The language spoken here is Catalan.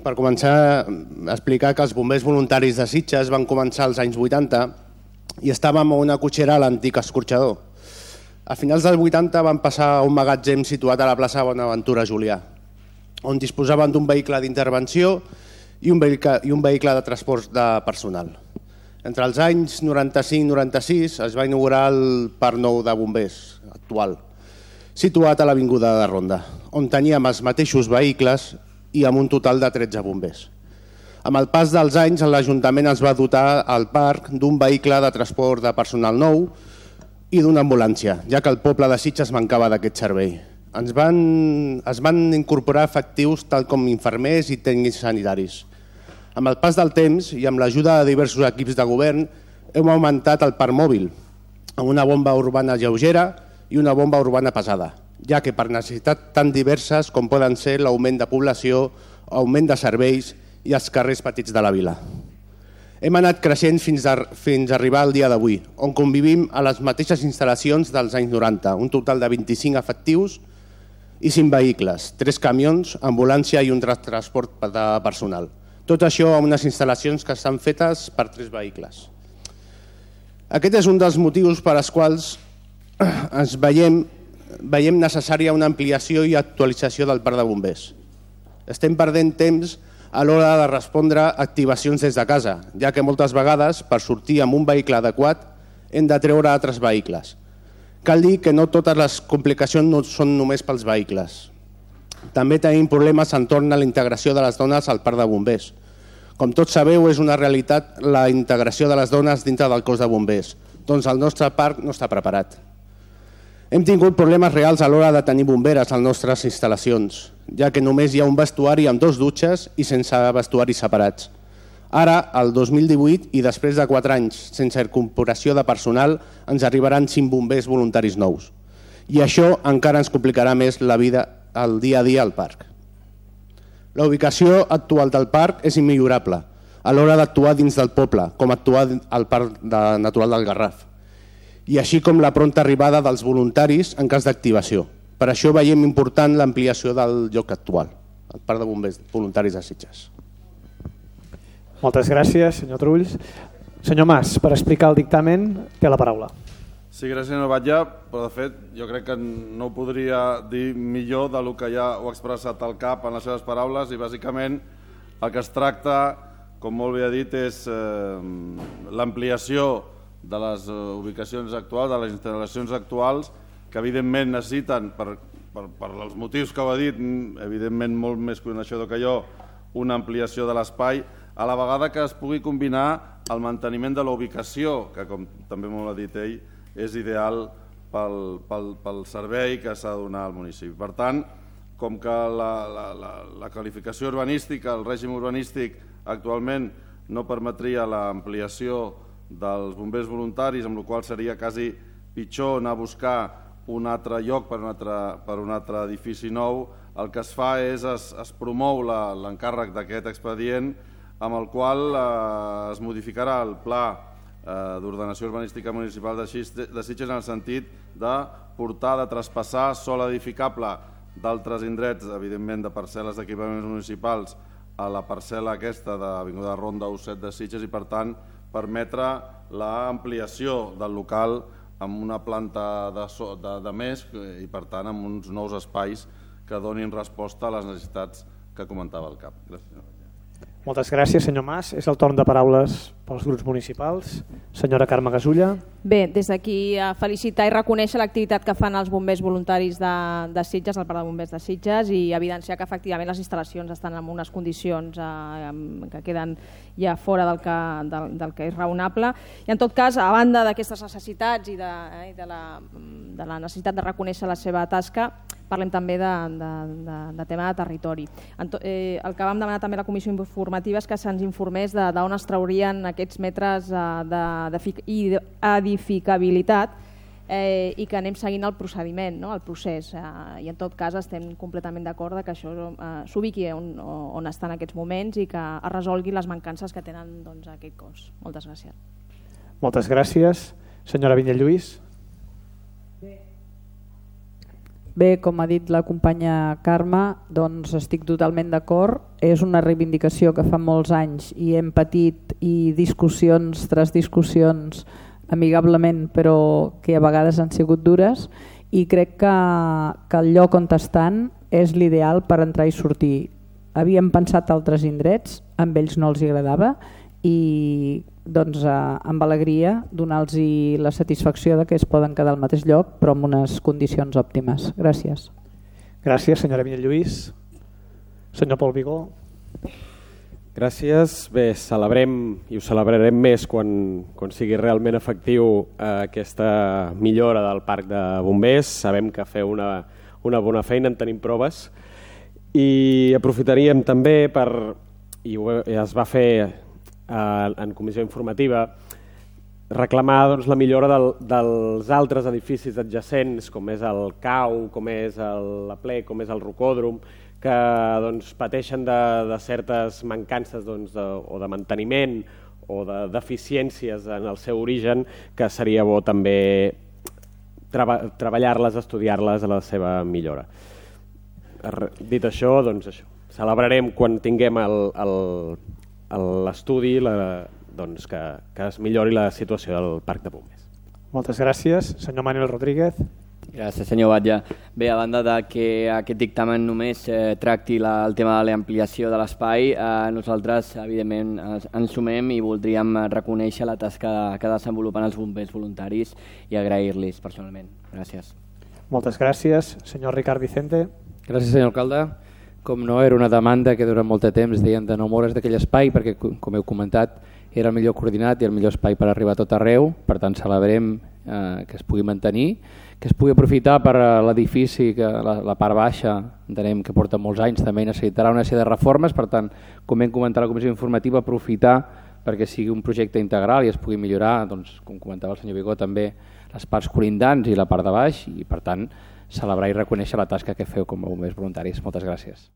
per començar a explicar que els bombers voluntaris de Sitges van començar als anys 80 i estàvem a una cotxera a l'antic escorxador. A finals dels 80 van passar a un magatzem situat a la plaça Bonaventura Julià, on disposaven d'un vehicle d'intervenció i un vehicle de transport de personal. Entre els anys 95 i 96 es va inaugurar el Parc Nou de Bombers actual, situat a l'Avinguda de Ronda, on teníem els mateixos vehicles i amb un total de 13 bombers. Amb el pas dels anys, l'Ajuntament es va dotar al parc d'un vehicle de transport de personal nou i d'una ambulància, ja que el poble de Sitges mancava d'aquest servei. Es van incorporar efectius tal com infermers i tècnics sanitaris. Amb el pas del temps i amb l'ajuda de diversos equips de govern hem augmentat el parc mòbil amb una bomba urbana lleugera i una bomba urbana pesada, ja que per necessitats tan diverses com poden ser l'augment de població, augment de serveis i els carrers petits de la vila. Hem anat creixent fins a arribar al dia d'avui, on convivim a les mateixes instal·lacions dels anys 90, un total de 25 efectius i 5 vehicles, 3 camions, ambulància i un transport de personal. Tot això a unes instal·lacions que estan fetes per 3 vehicles. Aquest és un dels motius per als quals veiem necessària una ampliació i actualització del parc de bombers. Estem perdent temps a l'hora de respondre a activacions des de casa, ja que moltes vegades, per sortir amb un vehicle adequat, hem de treure altres vehicles. Cal dir que no totes les complicacions no són només pels vehicles. També tenim problemes entorn a la integració de les dones al parc de bombers. Com tots sabeu, és una realitat la integració de les dones dintre del cos de bombers, doncs el nostre parc no està preparat. Hem tingut problemes reals a l'hora de tenir bomberes a les nostres instal·lacions, ja que només hi ha un vestuari amb 2 dutxes i sense vestuaris separats. Ara, el 2018, i després de 4 anys sense incorporació de personal, ens arribaran 5 bombers voluntaris nous. I això encara ens complicarà més la vida al dia a dia al parc. La ubicació actual del parc és immillorable a l'hora d'actuar dins del poble, com actuar al Parc Natural del Garraf, i així com la pronta arribada dels voluntaris en cas d'activació. Per això veiem important l'ampliació del lloc actual, el Parc de Bombers Voluntaris de Sitges. Moltes gràcies, senyor Trulls. Senyor Mas, per explicar el dictamen, té la paraula. Sí, gràcies, senyor Batlle, però de fet jo crec que no ho podria dir millor del que ja ho ha expressat el CAP en les seves paraules, i bàsicament el que es tracta, com molt bé ha dit, és l'ampliació de les ubicacions actuals, de les instal·lacions actuals, que evidentment necessiten, per els motius que ho ha dit, evidentment molt més coneixedor que jo, una ampliació de l'espai, a la vegada que es pugui combinar el manteniment de la ubicació, que com també molt ha dit ell, és ideal pel servei que s'ha de donar al municipi. Per tant, com que la qualificació urbanística, el règim urbanístic actualment no permetria l'ampliació dels bombers voluntaris, amb la qual seria quasi pitjor anar a buscar un altre lloc per un altre edifici nou, el que es fa és es promou l'encàrrec d'aquest expedient, amb el qual es modificarà el pla d'ordenació urbanística municipal de Sitges en el sentit de portar, de traspassar sòl edificable d'altres indrets, evidentment de parcel·les d'equipaments municipals, a la parcel·la aquesta d'Avinguda Ronda U7 de Sitges, i per tant permetre l'ampliació del local amb una planta de més i per tant amb uns nous espais que donin resposta a les necessitats que comentava el CAP. Gràcies. Moltes gràcies, senyor Mas. És el torn de paraules pels grups municipals. Senyora Carme Gasulla. Bé, des d'aquí felicitar i reconèixer l'activitat que fan els bombers voluntaris de Sitges, el Parc de Bombers de Sitges, i evidenciar que efectivament les instal·lacions estan en unes condicions que queden ja fora del que és raonable. I en tot cas, a banda d'aquestes necessitats i de la necessitat de reconèixer la seva tasca, parlem també de tema de territori. El que vam demanar també a la comissió informativa és que se'ns informés d'on es traurien aquests metres d'edificabilitat i que anem seguint el procediment, el procés. I en tot cas estem completament d'acord que això s'ubiqui on està en aquests moments i que es resolgui les mancances que tenen aquest cos. Moltes gràcies. Moltes gràcies. Senyora Vinyet Lluís. Bé, com ha dit la companya Carme, doncs estic totalment d'acord. És una reivindicació que fa molts anys i hem patit i discussions tras discussions amigablement, però que a vegades han sigut dures, i crec que el lloc on estan és l'ideal per entrar i sortir. Havíem pensat altres indrets, amb ells no els agradava, i doncs amb alegria donar-los la satisfacció de que es poden quedar al mateix lloc però en unes condicions òptimes. Gràcies. Gràcies, senyora Vinyet Lluís. Senyor Pol Vigó. Gràcies. Bé, celebrem i ho celebrarem més quan sigui realment efectiu aquesta millora del parc de bombers. Sabem que feu una bona feina, en tenim proves, i aprofitaríem també per, i es va fer en comissió informativa, reclamar la millora dels altres edificis adjacents, com és el CAU, com és la Ple, com és el Rocòdrom, que pateixen de certes mancances o de manteniment o de deficiències en el seu origen, que seria bo també treballar-les, estudiar-les a la seva millora. Dit això, això. Celebrarem quan tinguem l'estudi que es millori la situació del parc de bombers. Moltes gràcies. Senyor Manuel Rodríguez. Gràcies, senyor Batlle. Bé, a banda de que aquest dictamen només tracti el tema de l'ampliació de l'espai, nosaltres, evidentment, ens sumem i voldríem reconèixer la tasca que desenvolupen els bombers voluntaris i agrair-los personalment. Gràcies. Moltes gràcies. Senyor Ricard Vicente. Gràcies, senyor alcalde. Com no, era una demanda que durant molt de temps deien de no moure's d'aquell espai perquè, com heu comentat, era el millor coordinat i el millor espai per arribar a tot arreu. Per tant, celebrem que es pugui mantenir, que es pugui aprofitar per l'edifici, que la part baixa, entenem que porta molts anys, també necessitarà una sèrie de reformes. Per tant, com hem comentat a la comissió informativa, aprofitar perquè sigui un projecte integral i es pugui millorar, com comentava el senyor Vigó, també les parts colindants i la part de baix, i per tant celebrar i reconèixer la tasca que feu com a bombers voluntaris. Moltes gràcies.